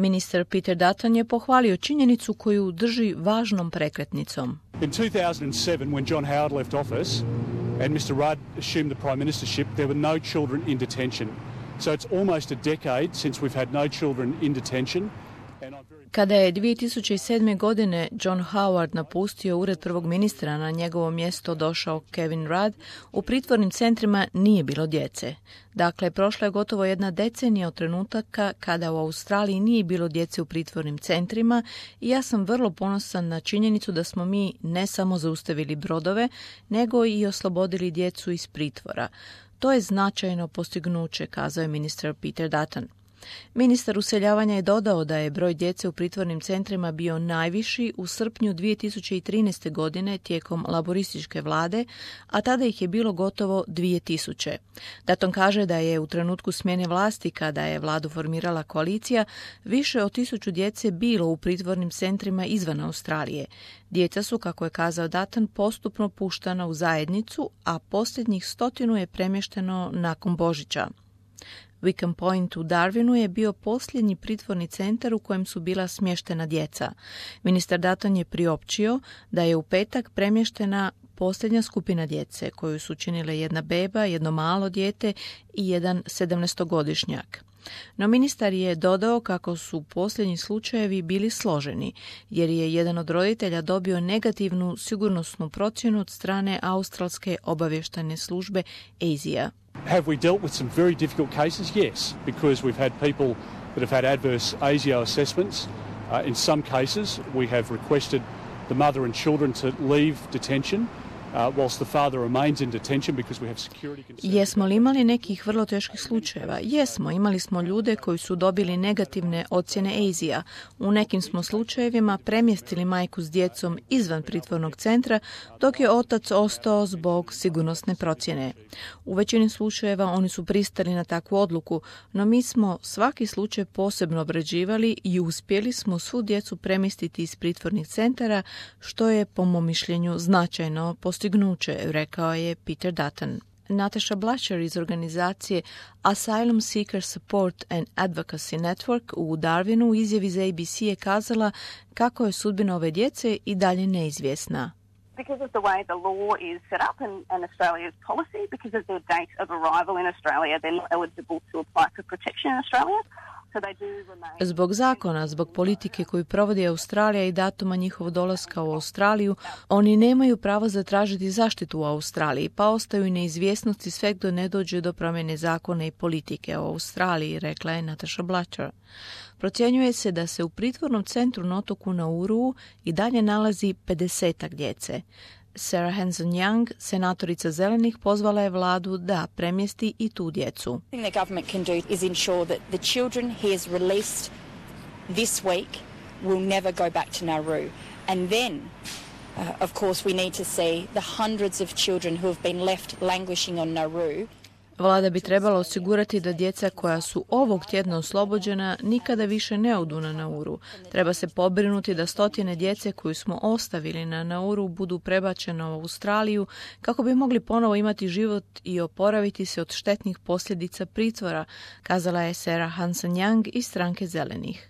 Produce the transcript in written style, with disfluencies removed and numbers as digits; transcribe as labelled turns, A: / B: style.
A: Ministar Peter Dutton je pohvalio činjenicu koju drži važnom prekretnicom.
B: In 2007, when John Howard left office and Mr. Rudd assumed the prime ministership, there were no children in detention. So it's almost a decade since we've had no children in detention.
A: Kada je 2007. godine John Howard napustio ured prvog ministra, na njegovo mjesto došao Kevin Rudd, u pritvornim centrima nije bilo djece. Dakle, prošla je gotovo jedna decenija od trenutaka kada u Australiji nije bilo djece u pritvornim centrima i ja sam vrlo ponosan na činjenicu da smo mi ne samo zaustavili brodove, nego i oslobodili djecu iz pritvora. To je značajno postignuće, kazao je ministar Peter Dutton. Ministar useljavanja je dodao da je broj djece u pritvornim centrima bio najviši u srpnju 2013. godine tijekom laborističke vlade, a tada ih je bilo gotovo 2000. Dutton kaže da je u trenutku smjene vlasti, kada je vladu formirala koalicija, više od 1000 djece bilo u pritvornim centrima izvan Australije. Djeca su, kako je kazao Dutton, postupno puštana u zajednicu, a posljednjih 100 je premješteno nakon Božića. Wickham Point u Darwinu je bio posljednji pritvorni centar u kojem su bila smještena djeca. Ministar Dutton je priopćio da je u petak premještena posljednja skupina djece, koju su činile jedna beba, jedno malo dijete i jedan 17-godišnjak. No ministar je dodao kako su posljednji slučajevi bili složeni, jer je jedan od roditelja dobio negativnu sigurnosnu procjenu od strane australske obavještajne službe ASIA.
B: Have we dealt with some very difficult cases? Yes, because we've had people that have had adverse ASIO assessments. In some cases, we have requested the mother and children to leave detention whilst the father remains in detention because we have security concerns.
A: Jesmo li imali nekih vrlo teških slučajeva? Jesmo, imali smo ljude koji su dobili negativne ocjene ASIA. U nekim smo slučajevima premjestili majku s djecom izvan pritvornog centra, dok je otac ostao zbog sigurnosne procjene. U većini slučajeva oni su pristali na takvu odluku, no mi smo svaki slučaj posebno obrađivali i uspjeli smo svu djecu premjestiti iz pritvornih centara, što je, po mom mišljenju, značajno postignuće, rekao je Peter Dutton. Natasha Blacher iz organizacije Asylum Seeker Support and Advocacy Network u Darwinu u izjavi za ABC je kazala kako je sudbina ove djece i dalje neizvjesna.
C: Because of the way the law is set up and Australia's policy, because of their date of arrival in Australia, they're not eligible to apply for protection in Australia.
A: Zbog zakona, zbog politike koju provodi Australija i datuma njihovog dolaska u Australiju, oni nemaju pravo zatražiti zaštitu u Australiji, pa ostaju neizvjesnosti sve dok ne dođe do promjene zakona i politike u Australiji, rekla je Natasha Blacher. Procjenjuje se da se u pritvornom centru na otoku Nauru i dalje nalazi 50-ak djece. Sarah Hanson-Young, senatorica Zelenih, pozvala je vladu da premjesti i tu djecu.
D: The government can do is ensure that the children he has released this week will never go back to Nauru. And then, of course, we need to see the hundreds of children who have been left languishing on Nauru.
A: Vlada bi trebala osigurati da djeca koja su ovog tjedna oslobođena nikada više ne odu na Nauru. Treba se pobrinuti da 100 djece koju smo ostavili na Nauru budu prebačene u Australiju kako bi mogli ponovo imati život i oporaviti se od štetnih posljedica pritvora, kazala je Sarah Hanson-Young iz stranke Zelenih.